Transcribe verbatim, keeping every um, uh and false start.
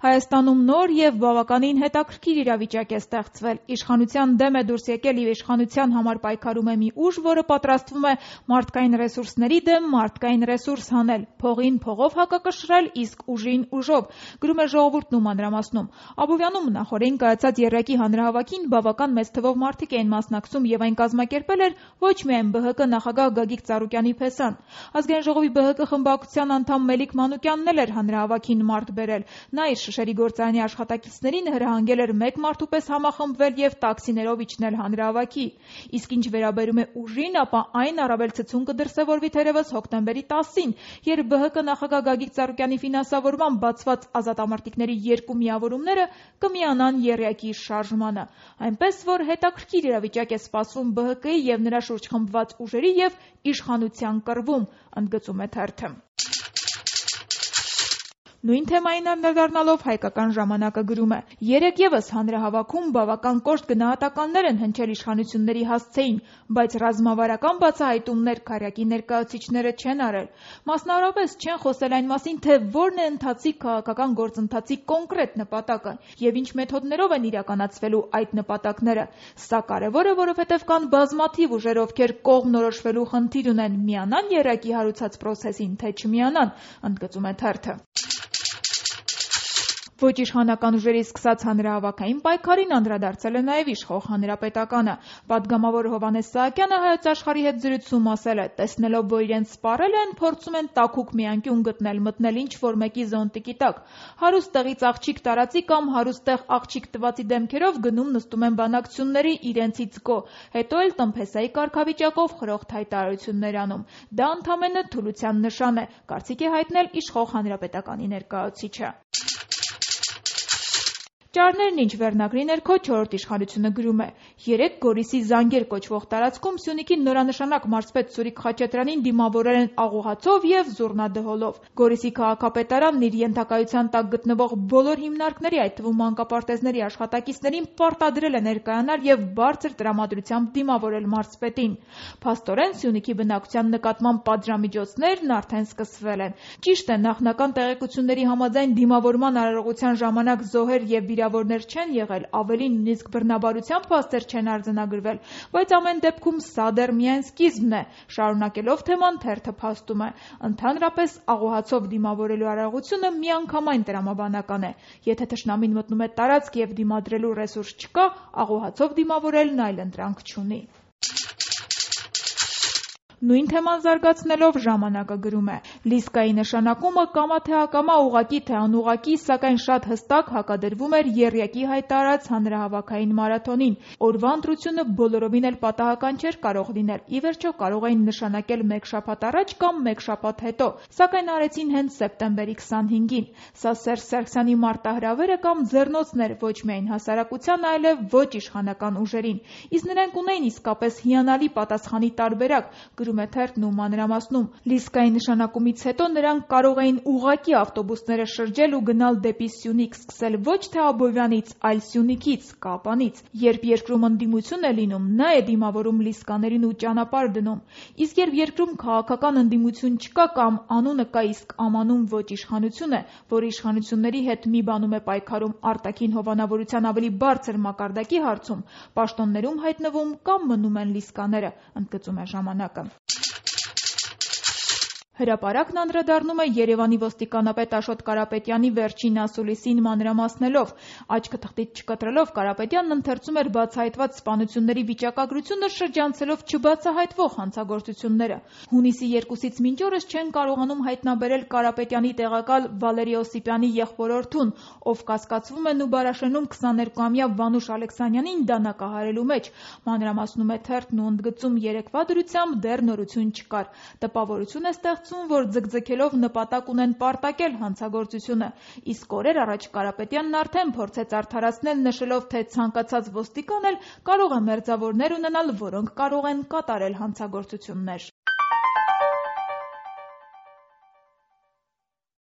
Հայաստանում նոր եւ բավականին հետաքրքիր իրավիճակ է ստեղծվել։ Իշխանության դեմ է դուրս եկել եւ իշխանության համար պայքարում է մի ուժ, որը պատրաստվում է մարդկային ռեսուրսների դեմ մարդկային ռեսուրս հանել, փողին փողով հակակշռել, իսկ ուժին ուժով, գրում է Ժողովուրդն ու մանրամասնում։ Աբովյանում նախորդին կայացած եռյակի հանրահավաքին բավական մեծ թվով մարդիկ էին մասնակցում եւ այն կազմակերպել էր ոչ միայն Բ Հ Կ նախագահ Գագիկ Ծառուկյանի փեսան։ Ազգային ժողովի Բ Հ Կ խմբակցության անդամ Մելիք Մանուկյանն էլ էր հանրահավաքին մարդ բերել։ Նա իր շշերի գործարանի աշխատակիցներին հրահանգել էր մեկ մարդու պես համախմբվել եւ տաքսիներով իջնել հանրահավաքի։ Իսկ ինչ վերաբերում է ուժին, ապա այն առավել ցցուն կդրսևորվի թերևս հոկտեմբերի տասին, երբ Բ Հ Կ նախագահ Գագիկ Ծառուկյանի ֆինանսավորմամբ բացված ազատամարտիկների երկու միավորումները կմիանան եռյակի շարժմանը։ Այնպես որ հետաքրքիր իրավիճակ է սպասվում Բ Հ Կ-ի եւ նրա շուրջ խմբված ուժերի եւ իշխանության կռվում, ընդգծում է թերթը։ Նույն թեմային անդրադառնալով Հայկական ժամանակը գրում է. երեկ եւս հանրահավաքում բավական կոշտ գնահատականներ են հնչել իշխանությունների հասցեին, բայց ռազմավարական բացահայտումներ քարյակի ներկայացուցիչները չեն արել։ Մասնավորապես չեն խոսել այն մասին, թե որն է ընթացիկ քաղաքական գործընթացի կոնկրետ նպատակը եւ ինչ մեթոդներով են իրականացվելու այդ նպատակները։ Սա կարեւոր է, որովհետեւ կան բազմաթիվ ուժեր, ովքեր կողմնորոշվելու խնդիր ունեն՝ միանան եռյակի հարուցած պրոցեսին, թե չմիանան, ընդգծում է թերթը։ Ոչ իշխանական ուժերի սկսած հանրահավաքային պայքարին անդրադարձել է նաև իշխող Հանրապետականը։ Պատգամավոր Հովհաննես Սահակյանը Հայոց Աշխարհի հետ զրույցում ասել է. տեսնելով, որ իրենց սպառել են, փորձում են տաքուկ մի անկյուն գտնել, մտնել ինչ-որ մեկի զոնտիկի տակ։ Հարուստ տեղից աղջիկ տարածի կամ հարուստ տեղ աղջիկ տվածի դեմքերով գնում նստում են բանակցությունների իրենցից գո, հետո էլ տնփեսայի կարգավիճակով խրոխտ հայտարարություններ անում։ Դա ընդամենը թուլության նշան է, կարծիք է հայտնել իշխող Հանրապետականի ներկայացուցիչը։ Ճարներն ինչ վերնագրի ներքո չորրորդ իշխանությունը գրում է. երեկ Գորիսի Զանգեր կոչվող տարածքում Սյունիքի նորանշանակ մարզպետ Սուրիկ Խաչատրյանին դիմավորել են աղուհացով եւ զուռնադհոլով։ Գորիսի քաղաքապետարանն իր ենթակայության տակ գտնվող բոլոր հիմնարկների, այդ թվում մանկապարտեզների աշխատակիցներին պարտադրել է ներկայանալ եւ բարձր տրամադրությամբ դիմավորել մարզպետին։ Փաստորեն Սյունիքի բնակության նկատմամբ պատժամիջոցներն արդեն սկսվել են։ Ճիշտ է, նախնական տեղեկությունների համաձայն դիմավորման արարողության ժամանակ զոհեր եւ վիրավորներ չեն եղել, ավելին նույնիսկ բռնաբարության փաստեր չեն արձանագրվել, բայց ամեն դեպքում սա դեռ միայն սկիզբն է։ Շարունակելով թեման, թերթը փաստում է. ընդհանրապես աղուհացով դիմավորելու արարողությունը միանգամայն տրամաբանական է։ Եթե թշնամին մտնում է տարածք եւ դիմադրելու ռեսուրս չկա, աղուհացով դիմավորելն այլ ընտրանք չունի։ Նույն թեման զարգացնելով ժամանակը գրում է. Լիսկայի նշանակումը կամա թե ակամա, ուղղակի թե անուղղակի, սակայն շատ հստակ հակադրվում էր եռյակի հայտարարած հանրահավաքային մարաթոնին։ Օրվա ընտրությունը բոլորովին էլ պատահական չէր կարող լինել։ Ի վերջո կարող էին նշանակել մեկ շաբաթ առաջ կամ մեկ շաբաթ հետո, սակայն արեցին հենց սեպտեմբերի քսանհինգին։ Սա Սերժ Սարգսյանի մարտահրավերը կամ ձեռնոցն էր ոչ միայն հասարակության, այլև ոչ իշխանական ուժերին։ Իսկ նրանք ունեին իսկապես հիանալի պատասխանի տարբերակ, գրում է թերթն ու մանրամասնում։ Լիսկայի նշանակումից հետո նրանք կարող էին ուղղակի ավտոբուսները շրջել ու գնալ դեպի Սյունիք, սկսել ոչ թե Աբովյանից, այլ Սյունիքից, Կապանից։ Երբ երկրում ընդդիմություն է լինում, նա է դիմավորում լիսկաներին ու ճանապարհ դնում։ Իսկ երբ երկրում քաղաքական ընդդիմություն չկա կամ անունը կա, իսկ ամանում ոչ իշխանություն է, որ իշխանությունների հետ մի բանում է պայքարում արտաքին հովանավորության ավելի բարձր մակարդակի հարցում, պաշտոններում հայտնվում կամ մնում են լիսկաները, ընդգծում է ժամանակը։ Հրապարակն անդրադառնում է Երևանի ոստիկանապետ Աշոտ Կարապետյանի վերջին ասուլիսին մանրամասնելով։ Աչքը թղթից չկտրելով Կարապետյանն ընթերցում էր բացահայտված սպանությունների վիճակագրությունը, շրջանցելով չբացահայտվող հանցագործությունները։ Հունիսի երկուսից մինչ օրս չեն կարողանում հայտնաբերել Կարապետյանի տեղակալ Վալերի Օսիպյանի եղբորորդուն, ով կասկածվում է Նուբարաշենում քսաներկուամյա Վանուշ Ալեքսանյանին դանակահարելու մեջ։ Մանրամասնում է թերթն ու ընդգծում երեկվա դրությամբ դեռ նորություն չկար։ Տպավորություն է ստեղծում, որ ձգձգելով նպատակ ունեն պարտակել հանցագործությունը։ Իսկ օրեր առաջ Կարապետյանն արդեն փորձեց արդարացնել, նշելով, թե ցանկացած ոստիկան էլ կարող է մերձավորներ ունենալ, որոնք կարող են կատարել հանցագործություններ։